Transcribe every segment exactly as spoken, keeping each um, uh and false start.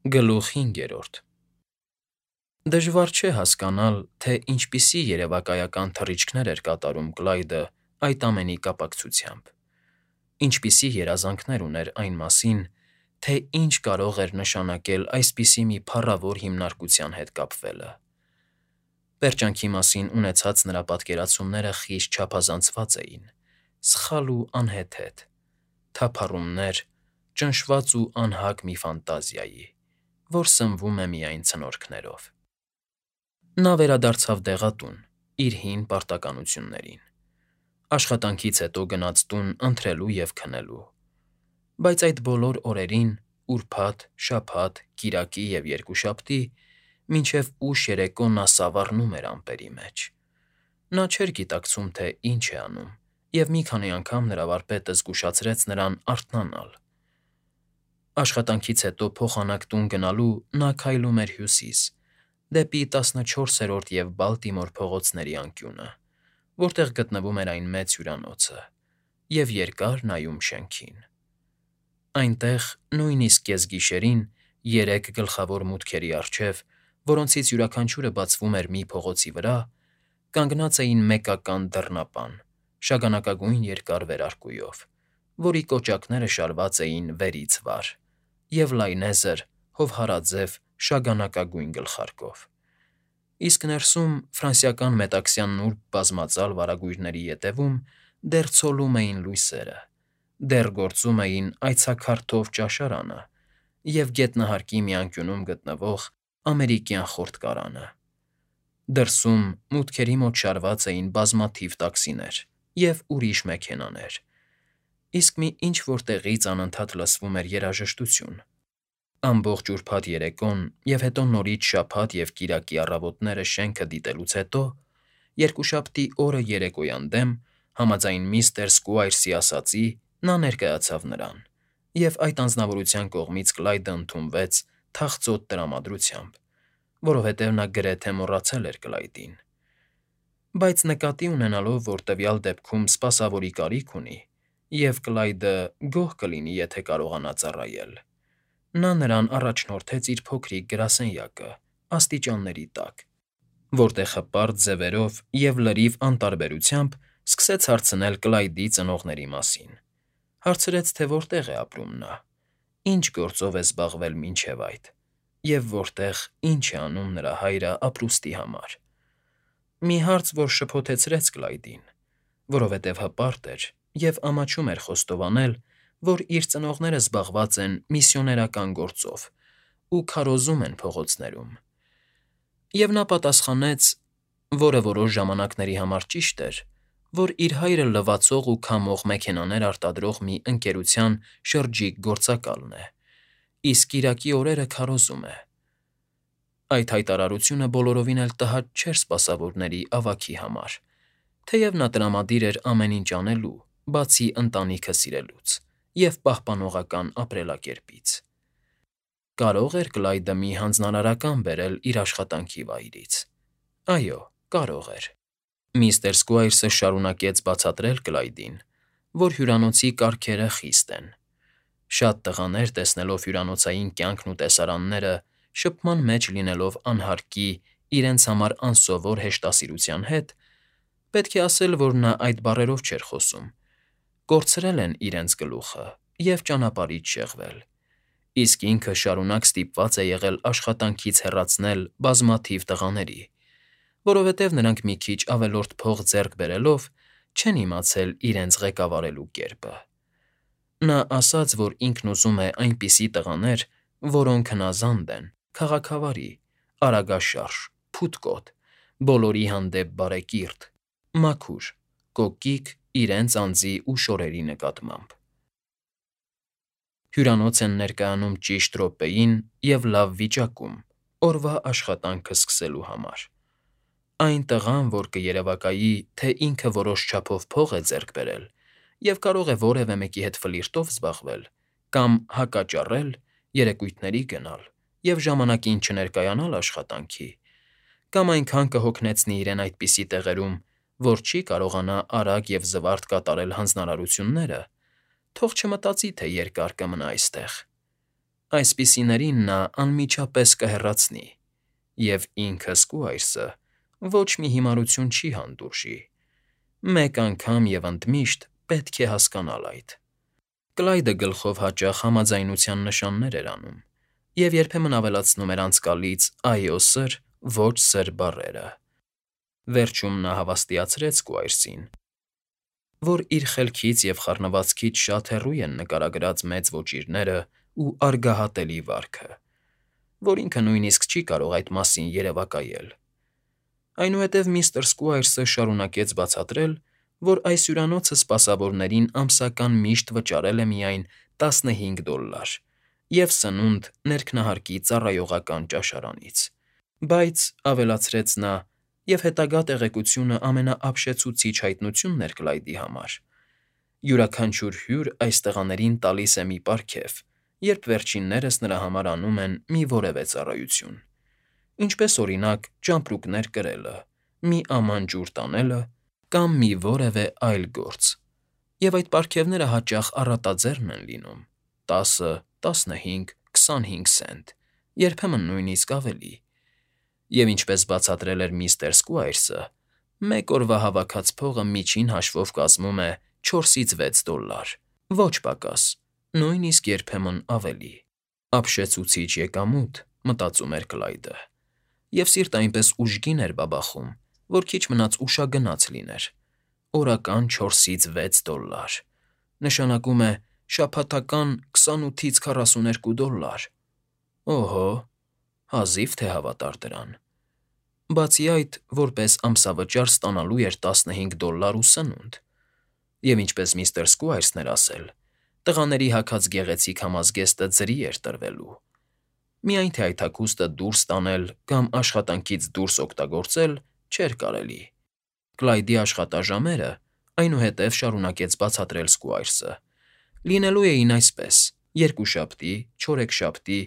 Գլուխ հինգերորդ Դժվար չէ հասկանալ, թե ինչպիսի երևակայական թռիչքներ էր կատարում Կլայդը այդ ամենի կապակցությամբ, ինչպիսի երազանքներ ուներ այն մասին, թե ինչ կարող էր նշանակել այսպիսի մի փառավոր հիմնարկության հետ կապվելը. Պերճանքի մասին ունեցած նրա պատկերացումները խիստ չափազանցված էին, սխալ ու անհեթեթ, թափառումներ, ճնշված ու անհագ մի ֆանտազիայի, որ սնվում է միայն ցնորքներով։ Նա վերադարձավ դեղատուն, իր հին պարտականություններին, աշխատանքից հետո գնաց տուն ընթրելու և քնելու, բայց այդ բոլոր օրերին՝ ուրբաթ, շաբաթ, կիրակի և երկուշաբթի, մինչև ուշ երեկո նա սավառնում էր ամպերի մեջ։ Նա չէր գիտակցում, թե ինչ է անում, և մի քանի անգամ նրա վարպետը զգուշացրեց նրան արթնանալ։ Աշխատանքից հետո փոխանակ տուն գնալու նա քայլում էր հյուսիս, դեպի տասնչորսերորդ և Բալտիմոր փողոցների անկյունը, որտեղ գտնվում էր այն մեծ հյուրանոցը, և երկար նայում շենքին։ Այնտեղ, նույնիսկ կեսգիշերին, երեք գլխավոր մուտքերի առջև, որոնցից յուրաքանչյուրը բացվում էր մի փողոցի վրա, կանգնած էին մեկական դռնապան, շագանակագույն երկար վերարկուով, որի կոճակները շարված էին վերից վար, և լայնեզր, հովհարաձև շագանակագույն գլխարկով, իսկ ներսում, ֆրանսիական մետաքսյան նուրբ բազմածալ վարագույրների ետևում դեռ ցոլում էին լույսերը, դեռ գործում էին այցաքարթով ճաշարանը և գետնահարկի մի անկյունում գտնվող ամերիկյան խորտկարանը։ Դրսում, մուտքերի մոտ շարված էին բազմաթիվ տաքսիներ և ուրիշ մեքենաներ, իսկ մի ինչ֊որ տեղից անընդհատ լսվում էր երաժշտություն։ Ամբողջ ուրբաթ երեկոն և հետո նորից շաբաթ և կիրակի առավոտները շենքը դիտելուց հետո, երկուշաբթի օրը երեկոյան դեմ, համաձայն միստր Սքուայրսի ասածի, նա ներկայացավ նրան, և այդ անձնավորության կողմից Կլայդը ընդունվեց թախծոտ տրամադրությամբ, որովհետև նա գրեթե մոռացել էր Կլայդին։ Բայց նկատի ունենալով, որ տվյալ դեպքում սպասավորի կարիք ունի, և Կլայդը գոհ կլինի, եթե կարողանա ծառայել, նա նրան առաջնորդեց իր փոքրիկ գրասենյակը աստիճանների տակ, որտեղ հպարտ ձևերով և լրիվ անտարբերությամբ սկսեց հարցնել Կլայդի ծնողների մասին, հարցրեց, թե որտեղ է ապրում նա, ինչ գործով է զբաղվել մինչև այդ, և որտեղ ինչ է անում նրա հայրը ապրուստի համար։ Մի հարց, որ շփոթեցրեց Կլայդին, որովհետև հպարտ էր և ամաչում էր խոստովանել, որ իր ծնողները զբաղված են միսիոներական գործով ու քարոզում են փողոցներում, և նա պատասխանեց, որը որոշ ժամանակների համար ճիշտ էր, որ իր հայրը լվացող ու քամող մեքենաներ արտադրող մի ընկերության շրջիկ գործակալն է, իսկ կիրակի օրերը քարոզում է։ Այդ հայտարարությունը բոլորովին էլ տհաճ չէր սպասավորների ավագի համար, թեև նա տրամադիր էր ամեն ինչ անելու, բացի ընտանիքը սիրելուց և պահպանողական ապրելակերպից։ Կարո՞ղ էր Կլայդը մի հանձնարարական բերել իր աշխատանքի վայրից։ Այո, կարող էր։ Միստր Սքուայրսը շարունակեց բացատրել Կլայդին, որ հյուրանոցի կարգերը խիստ են։ Շատ տղաներ, տեսնելով հյուրանոցային կյանքն ու տեսարանները, շփման մեջ լինելով անհարկի, իրենց համար անսովոր հեշտասիրության հետ (պետք է ասել, որ նա այդ բառերով չէր խոսում), կորցրել են իրենց գլուխը և ճանապարհից շեղվել, իսկ ինքը շարունակ ստիպված է եղել աշխատանքից հեռացնել բազմաթիվ տղաների, որովհետև նրանք մի քիչ ավելորդ փող ձեռք բերելով չեն իմացել իրենց ղեկավարելու կերպը։ Նա ասաց, որ ինքն ուզում է այնպիսի տղաներ, որոնք հնազանդ են, քաղաքավարի, արագաշարժ, փութկոտ, բոլորի հանդեպ բարեկիրթ, մաքուր, կոկիկ իրենց անձի ու շորերի նկատմամբ։ Հյուրանոց են ներկայանում ճիշտ րոպեին և լավ վիճակում, օրվա աշխատանքը սկսելու համար։ Այն տղան, որ կերևակայի, թե ինքը որոշ չափով փող է ձեռք բերել և կարող է որևէ մեկի հետ ֆլիրտով զբաղվել կամ հակաճառել, երեկույթների գնալ և ժամանակին չներկայանալ աշխատանքի, կամ այնքան կհոգնեցնի իրեն այդպիսի տեղերում, որ չի կարողանա արագ և զվարթ կատարել հանձնարարությունները, թող չմտածի, թե երկար կմնա այստեղ։ Այսպիսիներին նա անմիջապես կհեռացնի, և ինքը Սկուայրսը ոչ մի հիմարություն չի հանդուրժի. մեկ անգամ և ընդմիշտ պետք է հասկանալ այդ։ Կլայդը գլխով հաճախ համաձայնության նշաններ էր անում և երբեմն ավելացնում էր անցկալից «այո, սըր», «ոչ, սըր» բառերը։ Վերջում նա հավաստիացրեց Սկուայրսին, որ իր խելքից և խառնվածքից շատ հեռու են նկարագրած մեծ ոճիրներն ու արգահատելի վարքը, որ ինքը նույնիսկ չի կարող այդ մասին երևակայել։ Այնուհետև միստր Սկուայրսը շարունակեց բացատրել, որ այս հյուրանոցը սպասավորներին ամսական միշտ վճարել է միայն տասնհինգ դոլլար և սնունդ ներքնահարկի ծառայողական ճաշարանից, բայց, ավելացրեց նա, և հետագա տեղեկությունը ամենաապշեցուցիչ հայտնությունն էր Կլայդի համար, յուրաքանչյուր հյուր այս տղաներին տալիս է մի պարգև, երբ վերջիններս նրա համար անում են մի որևէ ծառայություն, ինչպես, օրինակ, ճամպրուկներ կրելը, մի աման ջուր տանելը կամ մի որևէ այլ գործ, և այդ պարգևները հաճախ առատաձեռն են լինում՝ տասը, տասնհինգ, քսանհինգ սենտ, երբեմն նույնիսկ ավելի, և ինչպես բացատրել էր միստր Սկուայրսը, մեկ օրվա հավաքած փողը միջին հաշվով կազմում է չորսից վեց դոլլար, ոչ պակաս, նույնիսկ երբեմն ավելի։ «Ապշեցուցիչ եկամուտ», մտածում էր Կլայդը, և սիրտը այնպես ուժգին էր բաբախում, որ քիչ մնաց ուշագնաց լիներ. օրական չորսից վեց դոլլար, նշանակում է շաբաթական քսանութից քառասուներկու դոլլար։ Օհո՜, հազիվ թե հավատար դրան։ Բացի այդ, որպես ամսավճար ստանալու էր տասնհինգ դոլլար ու սնունդ, և ինչպես միստր Սկուայրսն էր ասել, տղաների հագած գեղեցիկ համազգեստը ձրի էր տրվելու, միայն թե այդ հագուստը դուրս տանել կամ աշխատանքից դուրս օգտագործել չէր կարելի։ Կլայդի աշխատաժամերը, այնուհետև շարունակեց բացատրել Սկուայրսը, լինելու էին այսպես. երկուշաբթի, չորեքշաբթի,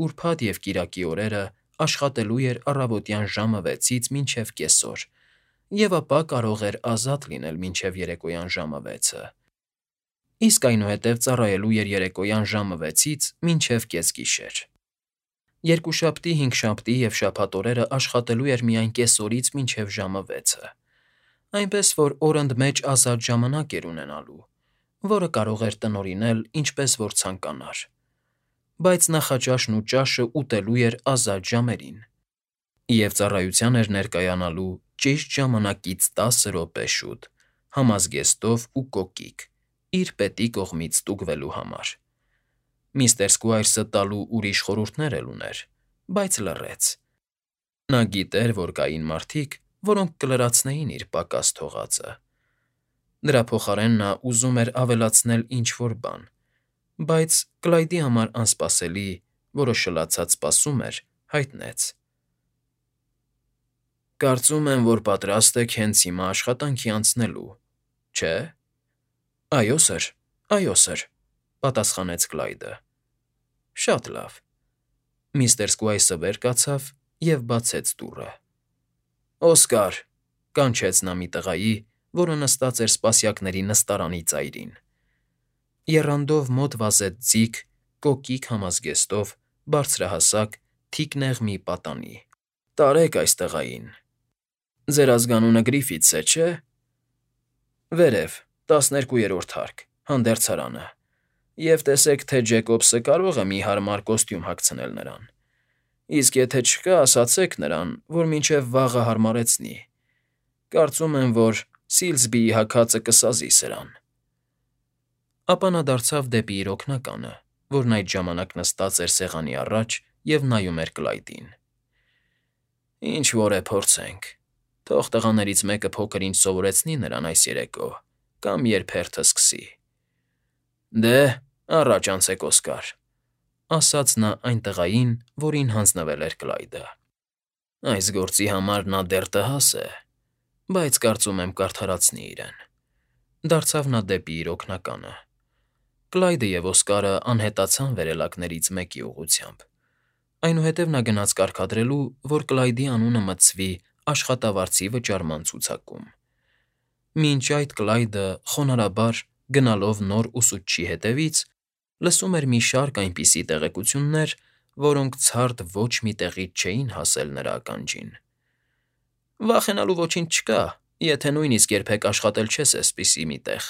ուրբաթ և կիրակի օրերը աշխատելու էր առավոտյան ժամը վեցից մինչև կեսօր և ապա կարող էր ազատ լինել մինչև երեկոյան ժամը վեցը, իսկ այնուհետև ծառայելու էր երեկոյան ժամը վեցից մինչև կեսգիշեր։ Երկուշաբթի, հինգշաբթի և շաբաթ օրերը աշխատելու էր միայն կեսօրից մինչև ժամը վեցը, այնպես որ օր ընդմեջ ազատ ժամանակ էր ունենալու, որը կարող էր տնօրինել ինչպես որ ցանկանար, բայց նախաճաշն ու ճաշը ուտելու էր ազատ ժամերին և ծառայության էր ներկայանալու ճիշտ ժամանակից տասը րոպե շուտ, համազգեստով ու կոկիկ, իր պետի կողմից ստուգվելու համար։ Միստր Սկուայրսը տալու ուրիշ խորհուրդներ էլ ուներ, բայց լռեց։ Նա գիտեր, որ կային մարդիկ, որոնք կլրացնեին իր պակաս թողածը։ Դրա փոխարեն նա ուզում էր ավելացնել ինչ֊որ բան, բայց Կլայդի համար անսպասելի, որը շլացած սպասում էր, հայտնեց. «Կարծում եմ, որ պատրաստ եք հենց հիմա աշխատանքի անցնելու, չէ՞»։ «Այո, սըր, այո, սըր», պատասխանեց Կլայդը։ «Շատ լավ»։ Միստր Սկուայրսը վեր կացավ և բացեց դուռը։ «Օսկար», կանչեց նա մի տղայի, որը նստած էր սպասյակների նստարանի ծայրին։ Եռանդով մոտ վազեց ձիգ, կոկիկ համազգեստով, բարձրահասակ, թիկնեղ մի պատանի։ «Տարեք այս տղային։ Ձեր ազգանունը Գրիֆիթս է, չէ՞։ Վերև, տասներկուերորդ հարկ, հանդերձարանը, և տեսեք, թե Ջեկոբսը կարող է մի հարմար կոստյում հագցնել նրան, իսկ եթե չկա, ասացեք նրան, որ մինչև վաղը հարմարեցնի։ Կարծում եմ, որ Սիլզբիի հագածը կսազի սրան»։ Ապա նա դարձավ դեպի իր օգնականը, որն այդ ժամանակ նստած էր սեղանի առաջ և նայում էր Կլայդին։ «Ինչ֊որ է, փորձենք։ Թող տղաներից մեկը փոքր֊ինչ սովորեցնի նրան այս երեկո կամ երբ հերթը սկսի»։ «Դե, առաջ անցեք, Օսկար», ասաց նա այն տղային, որին հանձնվել էր Կլայդը։ «Այս գործի համար նա դեռ տհաս է, բայց կարծում եմ կարդարացնի իրեն»։ Դարձավ նա դեպի իր օգնականը։ Կլայդը և Օսկարը անհետացան վերելակներից մեկի ուղղությամբ։ Այնուհետև նա գնաց կարգադրելու, որ Կլայդի անունը մտցվի աշխատավարձի վճարման ցուցակում։ Մինչ այդ Կլայդը խոնարհաբար, գնալով նոր ուսուցչի հետևից, Լսում էր մի շարք այնպիսի տեղեկություններ, որոնք ցարդ ոչ մի տեղից չէին հասել նրա ականջին։ «Վախենալու ոչինչ չկա, եթե նույնիսկ երբեք աշխատել չես էսպիսի մի տեղ»,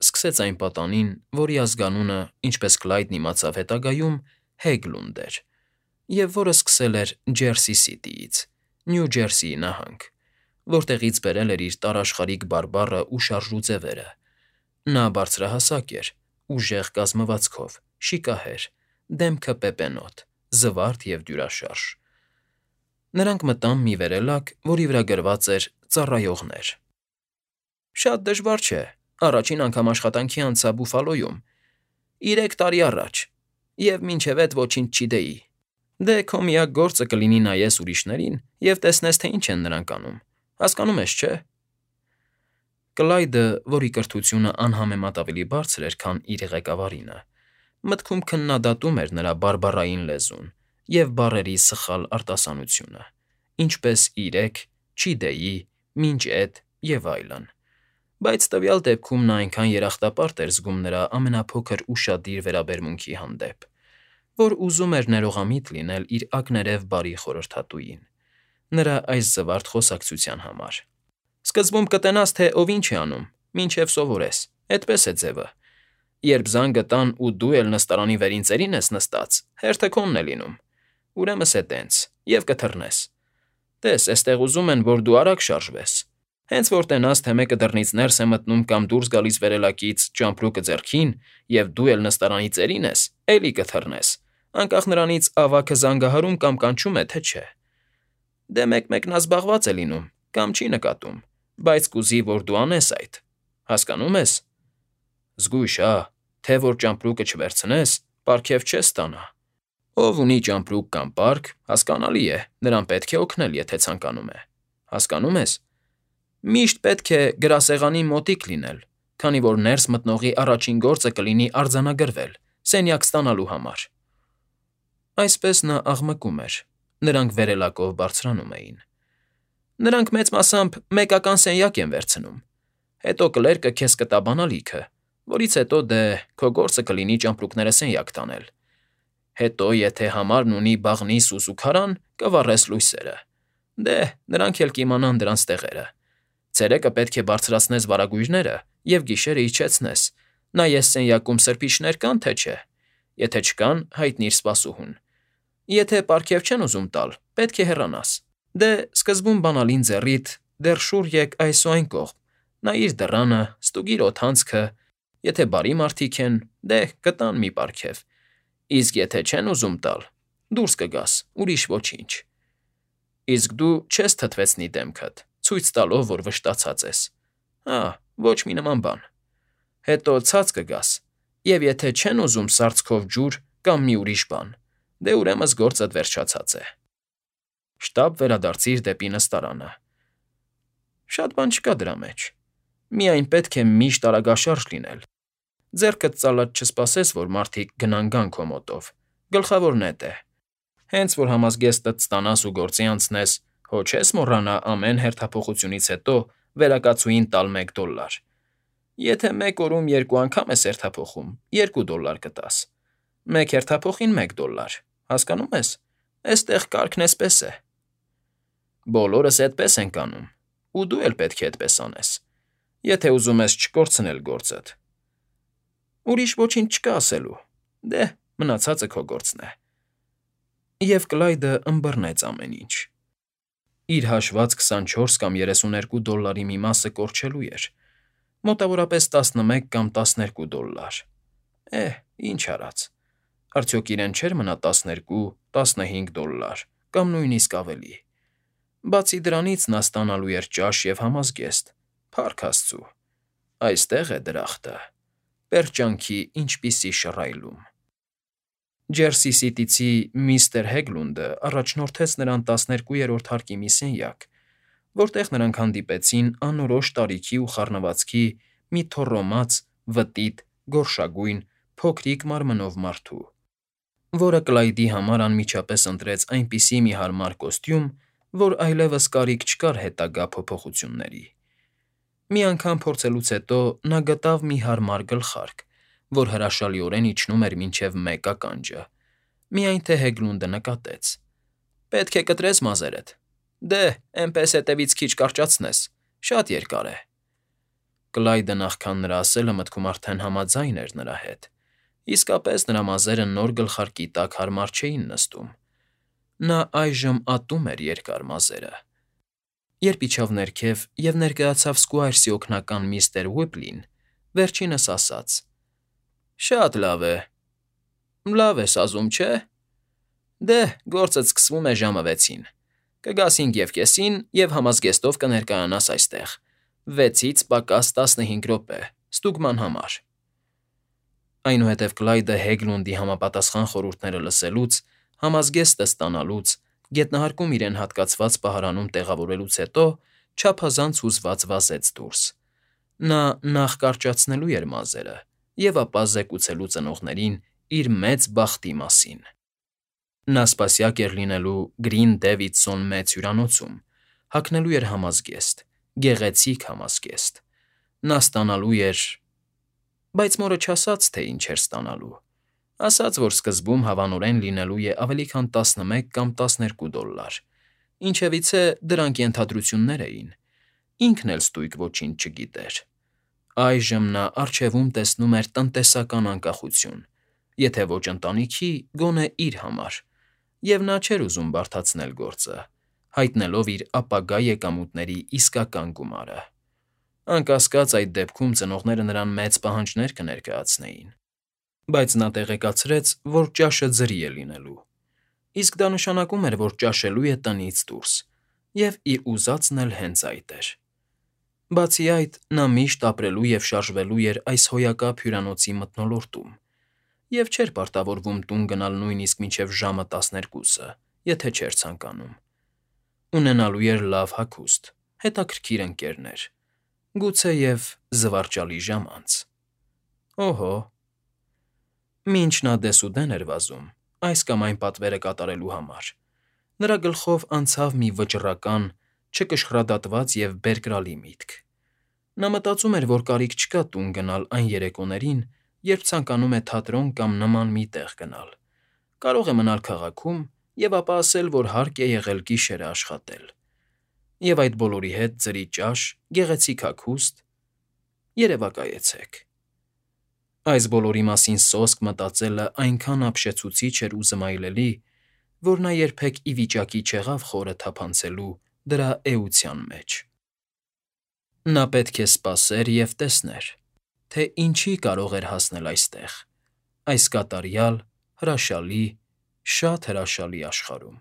սկսեց այն պատանին, որի ազգանունը, ինչպես Կլայդն իմացավ հետագայում, Հեգլունդ էր, և որը սկսել էր Ջերսի Սիթիից, Նյու Ջերսիի նահանգ, որտեղից բերել էր իր տարաշխարհիկ բարբառը ու շարժուձևերը։ Նա բարձրահասակ էր, ուժեղ կազմվածքով, շիկահեր, դեմքը պեպենոտ, զվարթ և դյուրաշարժ։ Նրանք մտան մի վերելակ, որի վրա գրված էր «Ծառայողներ»։ «Շատ դժվար չէ, առաջին անգամ աշխատանքի անցա Բուֆալոյում, իրեք տարի առաջ, և մինչև էդ ոչինչ չգիտեի։ Դե քո միակ գործը կլինի նայես ուրիշներին և տեսնես, թե ինչ են նրանք անում, հասկանում ես, չէ՞»։ Կլայդը, որի կրթությունը անհամեմատ ավելի բարձր էր, քան իր ղեկավարինը, մտքում քննադատում էր նրա բարբառային լեզուն և բառերի սխալ արտասանությունը, ինչպես իրեք, չգիտեի, մինչ էդ և այլն, բայց տվյալ դեպքում նա այնքան երախտապարտ էր զգում նրա ամենափոքր ուշադիր վերաբերմունքի հանդեպ, որ ուզում էր ներողամիտ լինել իր ակներև բարի խորհրդատուին, նրա այս զվարթ խոսակցության համար։ «Սկզբում կտենաս, թե ով ինչ է անում, մինչև սովորես, էդպես է ձևը։ Երբ զանգը տան ու դու էլ նստարանի վերին ծերին ես նստած, հերթը քոնն է լինում, ուրեմն սե տենց, և կթռնես։ Տես, էստեղ ուզում են, որ դու արագ շարժվես։ Հենց որ տենաս, թե մեկը դռնից ներս է մտնում կամ դուրս գալիս վերելակից ճամպրուկը ձեռքին, և դու էլ նստարանի ծերին ես, էլի կթռնես, անկախ նրանից ավագը զանգահարում կամ կանչում է, թե չէ։ Դե մեկ֊մեկնազբաղված է լինում կամ չի նկատում, բայց կուզի, որ դու անես այդ, հասկանո՞ւմ ես։ Զգույշ, հա, թե որ ճամպրուկը չվերցնես, պարգև չես ստանա։ Ով ունի ճամպրուկ կամ պարկ, հասկանալի է, նրան պետք է օգնել, եթե ցանկանում է, հասկանո՞ւմ ես։ Միշտ պետք է գրասեղանին մոտիկ լինել, քանի որ ներս մտնողի առաջին գործը կլինի արձանագրվել, սենյակ ստանալու համար»։ Այսպես նա աղմկում էր, նրանք վերելակով բարձրանում էին։ «Նրանք մեծ մասամբ մեկական սենյակ են վերցնում, հետո կլերկը քեզ կտա բանալիքը, որից հետո դե քո գործը կլինի ճամպրուկները սենյակ տանել։ Հետո եթե համարն ունի բաղնի սուս ու քարան, կվառես լույսերը։ Դե, նրանք էլ կիմանան դրանց տեղերը։ Ցերեկը պետք է բարձրացնես վարագույրները և գիշերը իջեցնես, նայես սենյակում սրբիչներ կան, թե չէ։ Եթե չկան, հայտնիր սպասուհուն։ Եթե պարգև չեն ուզում տալ, պետք է հեռանաս։ Դե, սկզբում բանալին ձեռիդ, դեռ շուռ եկ այս ու այն կողմ, նայիր դռանը, ստուգիր օդանցքը, եթե բարի մարդիկ են, դե կտան մի պարգև, իսկ եթե չեն ուզում տալ, դուրս կգաս, ուրիշ ոչինչ։ Իսկ դու չես թթվեցնի դեմքդ, ցույց տալով, որ վշտացած ես։ Հա, ոչ մի նման բան։ Հետո ցած կգաս, և եթե չեն ուզում սառցքով ջուր կամ մի ուրիշ բան, դե ուրեմն գործդ վերջացած է։ Շտապ վերադարձիր դեպի նստարանը։ Շատ բան չկա դրա մեջ։ Միայն պետք է միշտ արագաշարժ լինել։ Ձեռքդ ծալած չսպասես, որ մարդիկ գնան գան քո մոտով, գլխավորն էդ է։ Հենց որ համազգեստդ ստանաս ու գործի անցնես, հո չես մոռանա ամեն հերթափոխությունից հետո վերակացուին տալ մեկ դոլլար։ Եթե մեկ օրում երկու անգամ ես հերթափոխում, երկու դոլլար կտաս։ Մեկ հերթափոխին մեկ դոլլար, հասկանո՞ւմ ես։ Էստեղ կարգն էսպես է։ Բոլորս էդպես ենք անում, ու դու էլ պետք է էդպես անես, եթե ուզում ես չկորցնել գործդ։ Ուրիշ ոչինչ չկա ասելու։ Դե, մնացածը քո գործն է։ Եվ Կլայդը ըմբռնեց ամեն ինչ։ Իր հաշված քսանչորս կամ երեսուներկու դոլլարի մի մասը կորչելու էր, մոտավորապես տասնմեկ կամ տասներկու դոլլար։ Էհ, ինչ արած։ Արդյոք իրեն չէր մնա տասներկու, տասնհինգ դոլլար կամ նույնիսկ ավելի։ Բացի դրանից նա ստանալու էր ճաշ և համազգեստ, փառք աստծու։ Այստեղ է դրախտը, պերճանքի ինչպիսի շռայլում։ Ջերսի Սիթիցի միստր Հեգլունդը առաջնորդեց նրան տասներկուերորդ հարկի մի սենյակ, որտեղ նրանք հանդիպեցին անորոշ տարիքի ու խառնվածքի մի թոռոմաց, վտիտ, գորշագույն, փոքրիկ մարմնով մարդու, որը Կլայդի համար անմիջապես ընտրեց այնպիսի մի հարմար կոստյում, որ այլևս կարիք չկար հետագա փոփոխությունների։ Մի անգամ փորձելուց հետո նա գտավ մի հարմար գլխարկ, որ հրաշալիորեն իջնում էր մինչև մեկ ականջը, միայն թե Հեգլունդը նկատեց. «Պետք է կտրես մազերդ, դե, էնպես հետևից քիչ կարճացնես, շատ երկար է»։ Կլայդը նախքան նրա ասելը մտքում արդեն համաձայն էր նրա հետ, իսկապես նրա մազերը նոր գլխարկի տակ հարմար չէին նստում. նա այժմ ատում էր երկար մազերը։ Երբ իջավ ներքև և ներկայացավ Սքուայրսի օգնական միստր Ուիպլին, վերջինս ասաց. «Շատ լավ է, լավ ես ազում, չէ՞։ Դե, գործդ սկսվում է ժամը վեցին, կգաս հինգ և կեսին և համազգեստով կներկայանաս այստեղ, վեցից պակաս տասնհինգ րոպե, ստուգման համար»։ Այնուհետև Կլայդը Հեգլունդի համապատասխան խորհուրդները լսելուց, համազգեստը ստանալուց, գետնահարկում իրեն հատկացված պահարանում տեղավորելուց հետո չափազանց հուզված վազեց դուրս։ Նա նախ կարճացնելու էր մազերը և ապա զեկուցելու ծնողներին իր մեծ բախտի մասին։ Նա սպասյակ էր լինելու Գրին Դեվիդսոն մեծ հյուրանոցում, հագնելու էր համազգեստ, գեղեցիկ համազգեստ։ Նա ստանալու էր… Բայց մորը չասաց, թե ինչ էր ստանալու, ասաց, որ սկզբում հավանորեն լինելու է ավելի քան տասնմեկ կամ տասներկու դոլլար, ինչևիցե դրանք ենթադրություններ էին, ինքն էլ ստույգ ոչինչ չգիտեր։ Այժմ նա առջևում տեսնում էր տնտեսական անկախություն, եթե ոչ ընտանիքի, գոնե իր համար, և նա չէր ուզում բարդացնել գործը, հայտնելով իր ապագա եկամուտների իսկական գումարը։ Անկասկած, այդ դեպքում ծնողները նրան մեծ պահանջներ կներկայացնեին, բայց նա տեղեկացրեց, որ ճաշը ձրի է լինելու, իսկ դա նշանակում էր, որ ճաշելու է տնից դուրս, և իր ուզածն էլ հենց այդ էր։ Բացի այդ, նա միշտ ապրելու և շարժվելու էր այս հոյակապ հյուրանոցի մթնոլորտում և չէր պարտավորվում տուն գնալ նույնիսկ մինչև ժամը տասներկուսը, եթե չէր ցանկանում։ Ունենալու էր լավ հագուստ, հետաքրքիր ընկերներ, գուցեև զվարճալի ժամանց։ Օհո՜։ Մինչ նա դեսուդեն էր վազում այս կամ այն պատվերը կատարելու համար, նրա գլխով անցավ մի վճռական, չկշռադատված և բերկրալի միտք։ Նա մտածում էր, որ կարիք չկա տուն գնալ այն երեկոներին, երբ ցանկանում է թատրոն կամ նման մի տեղ գնալ, կարող է մնալ քաղաքում և ապա ասել, որ հարկ է եղել գիշերն աշխատել, և այդ բոլորի հետ ձրի ճաշ, գեղեցիկ հագուստ… Երևակայեցեք։ Այս բոլորի մասին սոսկ մտածելն այնքան ապշեցուցիչ էր ու զմայլելի, որ նա երբեք ի վիճակի չեղավ խորը թափանցելու դրա էության մեջ։ Նա պետք է սպասեր և տեսներ, թե ինչի կարող էր հասնել այստեղ, այս կատարյալ, հրաշալի, շատ հրաշալի աշխարհում։